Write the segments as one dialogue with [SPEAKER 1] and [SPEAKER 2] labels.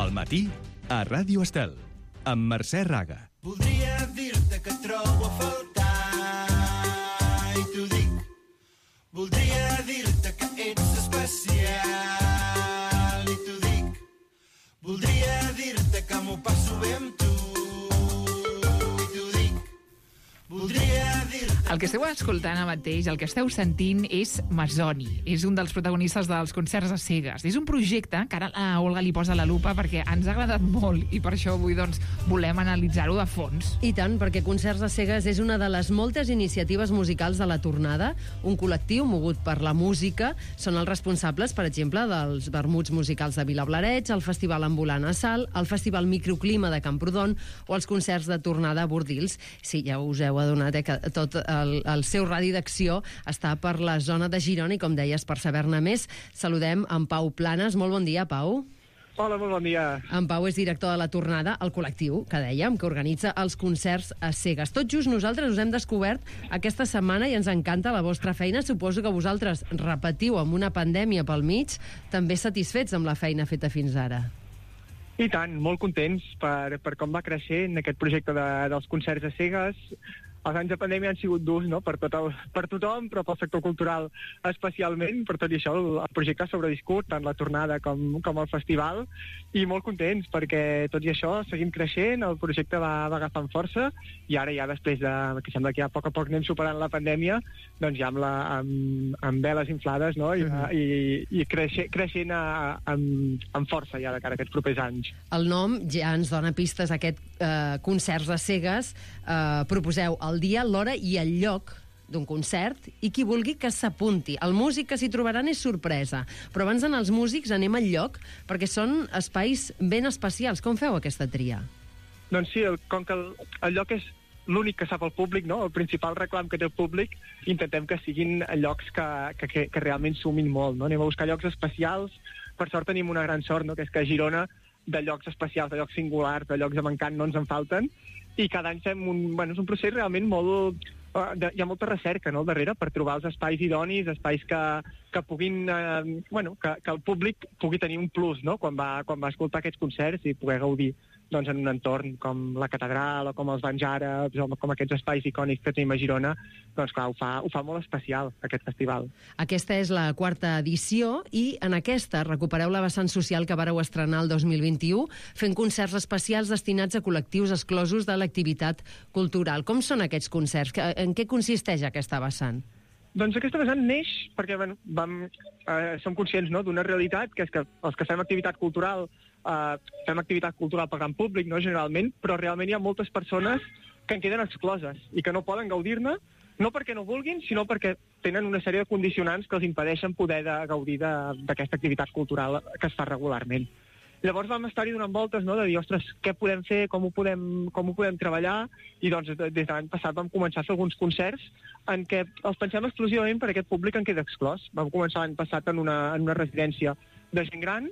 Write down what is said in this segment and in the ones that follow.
[SPEAKER 1] Al matí, a Ràdio Estel, amb Mercè Raga.
[SPEAKER 2] Voldria dir-te que trobo a faltar i t'ho dic. Voldria dir-te que ets especial i t'ho dic. Voldria dir-te que m'ho passo bé amb tu i t'ho dic. Voldria dir-te...
[SPEAKER 3] El que esteu escoltant ara mateix, el que esteu sentint és Masoni. És un dels protagonistes dels concerts a cegues. És un projecte que ara la Olga li posa la lupa perquè ens ha agradat molt i per això avui volem analitzar-ho de fons.
[SPEAKER 4] I tant, perquè Concerts a cegues és una de les moltes iniciatives musicals de la tornada. Un col·lectiu mogut per la música. Són els responsables, per exemple, dels vermuts musicals de Vilablareix, el Festival Ambulant a Salt, el Festival Microclima de Camprodon o els concerts de tornada a Bordils. Sí, ja us heu adonat que tot el seu radi d'acció està per la zona de Girona i, com deies, per saber-ne més, saludem en Pau Planes. Molt bon dia, Pau.
[SPEAKER 5] Hola, molt bon dia.
[SPEAKER 4] En Pau és director de la tornada, el col·lectiu, que dèiem, que organitza els concerts a cegues. Tot just nosaltres us hem descobert aquesta setmana i ens encanta la vostra feina. Suposo que vosaltres repetiu amb una pandèmia pel mig, també satisfets amb la feina feta fins ara.
[SPEAKER 5] I tant, molt contents per com va creixent aquest projecte dels concerts a cegues. Els anys de pandèmia han sigut durs, no?, per tothom, però pel sector cultural especialment. Per tot i això, el projecte ha sobreviscut, tant la tornada com el festival, i molt contents perquè, tot i això, seguim creixent, el projecte va agafant força, i ara ja després que sembla que ja a poc anem superant la pandèmia, doncs ja amb veles inflades, no?, i creixent amb força ja de cara a aquests propers anys.
[SPEAKER 4] El nom ja ens dona pistes a aquest concerts a cegues. Proposeu el dia, l'hora i el lloc d'un concert i qui vulgui que s'apunti. El músic que s'hi trobaran és sorpresa, però abans d'anar als músics anem al lloc, perquè són espais ben especials. Com feu aquesta tria?
[SPEAKER 5] Doncs sí, com que el lloc és l'únic que sap el públic, no?, el principal reclam que té el públic, intentem que siguin llocs que realment sumin molt, no? Anem a buscar llocs especials. Per sort tenim una gran sort, no?, que és que a Girona de llocs especials, de llocs singulars, de llocs amb encant no ens en falten, i cada any fem és un procés realment molt... hi ha molta recerca, no?, al darrere per trobar els espais idonis, espais que puguin... que el públic pugui tenir un plus, no?, quan va escoltar aquests concerts i poder gaudir doncs, en un entorn com la catedral o com els banys àrabs o com aquests espais icònics que tenim a Girona. Doncs clar, ho fa molt especial aquest festival.
[SPEAKER 4] Aquesta és la 4ª edició i en aquesta recupereu la vessant social que vareu estrenar el 2021 fent concerts especials destinats a col·lectius exclosos de l'activitat cultural. Com són aquests concerts? En què consisteix aquesta vessant?
[SPEAKER 5] Doncs aquesta vessant neix perquè som conscients, no?, d'una realitat, que és que els que fem activitat cultural per gran públic, no?, generalment, però realment hi ha moltes persones que en queden excloses i que no poden gaudir-ne, no perquè no vulguin, sinó perquè tenen una sèrie de condicionants que els impedeixen poder gaudir d'aquesta activitat cultural que es fa regularment. Llavors vam estar-hi donant voltes, no?, de dir, ostres, què podem fer, com ho podem treballar, i doncs des de l'any passat vam començar a fer alguns concerts en què els pensem exclusivament per aquest públic en queda exclòs. Vam començar l'any passat en una residència de gent gran,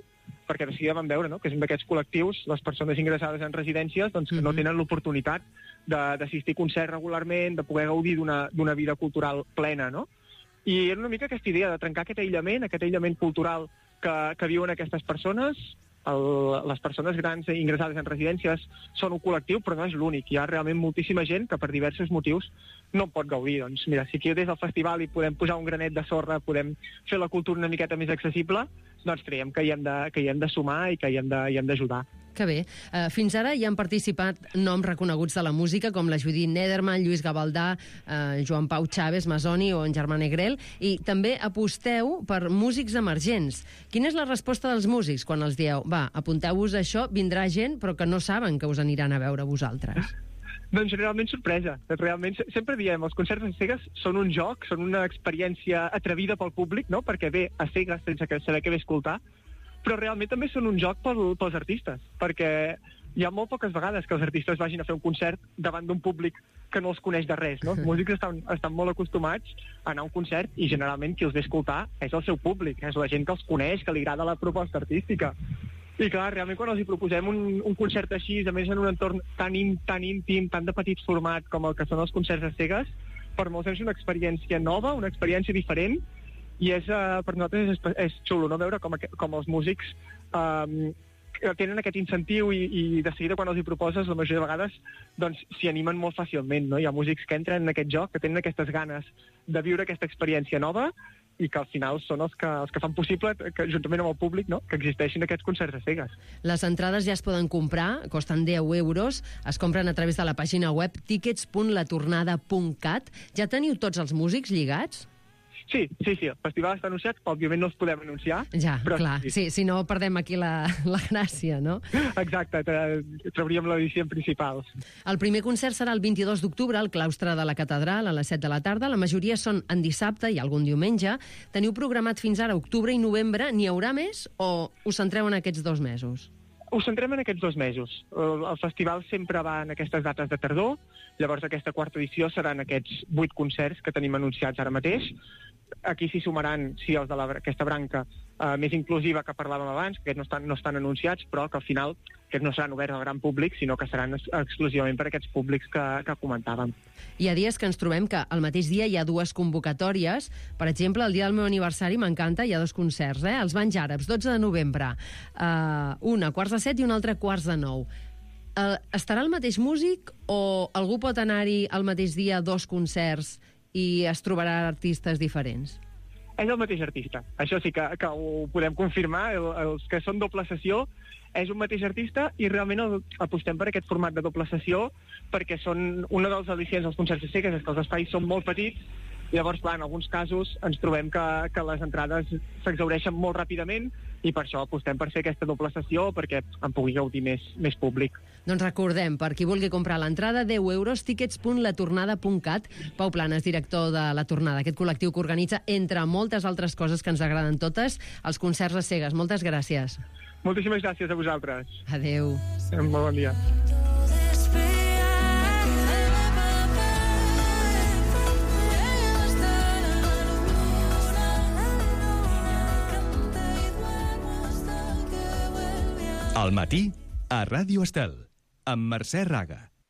[SPEAKER 5] perquè de seguida vam veure, no?, que és un d'aquests col·lectius, les persones ingressades en residències, doncs que no tenen l'oportunitat d'assistir a concerts regularment, de poder gaudir d'una vida cultural plena, no? I era una mica aquesta idea de trencar aquest aïllament cultural que viuen aquestes persones. Les persones grans ingressades en residències són un col·lectiu, però no és l'únic. Hi ha realment moltíssima gent que per diversos motius no pot gaudir. Doncs mira, si aquí des del festival hi podem posar un granet de sorra, podem fer la cultura una miqueta més accessible, doncs creiem que hi hem de sumar i que hi hem d'ajudar.
[SPEAKER 4] Que bé. Fins ara hi han participat noms reconeguts de la música com la Judit Nederman, Lluís Gavaldà, Joan Pau Chaves, Masoni o en Germà Negrel, i també aposteu per músics emergents. Quina és la resposta dels músics quan els dieu, va, apunteu-vos a això, vindrà gent però que no saben que us aniran a veure vosaltres?
[SPEAKER 5] Doncs generalment sorpresa. Realment, sempre diem, els concerts a cegues són un joc, són una experiència atrevida pel públic, no?, perquè ve a cegues sense saber què ve a escoltar, però realment també són un joc pels artistes, perquè hi ha molt poques vegades que els artistes vagin a fer un concert davant d'un públic que no els coneix de res, no? Els músics estan molt acostumats a anar a un concert i generalment qui els ve a escoltar és el seu públic, és la gent que els coneix, que li agrada la proposta artística. I clar, realment quan els hi proposem un concert així, a més en un entorn tan íntim, tan de petit format com el que són els concerts a cegues, per molts és una experiència nova, una experiència diferent, i per nosaltres és xulo, no?, veure com els músics que tenen aquest incentiu i de seguida quan els hi proposes, la majoria de vegades doncs s'hi animen molt fàcilment, no? Hi ha músics que entren en aquest joc, que tenen aquestes ganes de viure aquesta experiència nova i que al final són els que fan possible que, juntament amb el públic, no?, que existeixin aquests concerts a cegues.
[SPEAKER 4] Les entrades ja es poden comprar, costen 10 euros, es compren a través de la pàgina web tickets.latornada.cat. Ja teniu tots els músics lligats?
[SPEAKER 5] Sí, el festival està anunciat, òbviament no els podem anunciar.
[SPEAKER 4] Ja,
[SPEAKER 5] però
[SPEAKER 4] clar, sí, si no perdem aquí la gràcia, no?
[SPEAKER 5] Exacte, trauríem l'edició principal.
[SPEAKER 4] El primer concert serà el 22 d'octubre al claustre de la Catedral a les 7 de la tarda. La majoria són en dissabte i algun diumenge. Teniu programat fins ara octubre i novembre. N'hi haurà més o us centreu en aquests 2 mesos?
[SPEAKER 5] Ho centrem en aquests 2 mesos. El festival sempre va en aquestes dates de tardor, llavors aquesta quarta edició seran aquests 8 concerts que tenim anunciats ara mateix. Aquí s'hi sumaran, sí, els d'aquesta branca més inclusiva que parlàvem abans, que no estan anunciats, però que al final que no seran oberts al gran públic, sinó que seran exclusivament per a aquests públics que comentàvem.
[SPEAKER 4] Hi ha dies que ens trobem que al mateix dia hi ha 2 convocatòries. Per exemple, el dia del meu aniversari m'encanta, hi ha 2 concerts, Els Banys Àrabs, 12 de novembre. Un a 7:15 i un altre a 8:45. Estarà el mateix músic o algú pot anar-hi al mateix dia a 2 concerts i es trobarà artistes diferents?
[SPEAKER 5] És el mateix artista. Això sí que ho podem confirmar. Els que són doble sessió és un mateix artista i realment apostem per aquest format de doble sessió perquè són una dels al·licients dels concerts a cegues, és que els espais són molt petits. Llavors, clar, en alguns casos ens trobem que les entrades s'exhaureixen molt ràpidament i per això apostem per fer aquesta doble sessió perquè en pugui gaudir més públic.
[SPEAKER 4] Doncs recordem, per qui vulgui comprar l'entrada, 10 euros, tickets.latornada.cat. Pau Planes, director de La Tornada, aquest col·lectiu que organitza, entre moltes altres coses que ens agraden totes, els concerts a cegues. Moltes gràcies.
[SPEAKER 5] Moltíssimes gràcies a vosaltres.
[SPEAKER 4] Adéu.
[SPEAKER 5] Molt bon dia.
[SPEAKER 1] Al matí, a Ràdio Estel, amb Mercè Raga.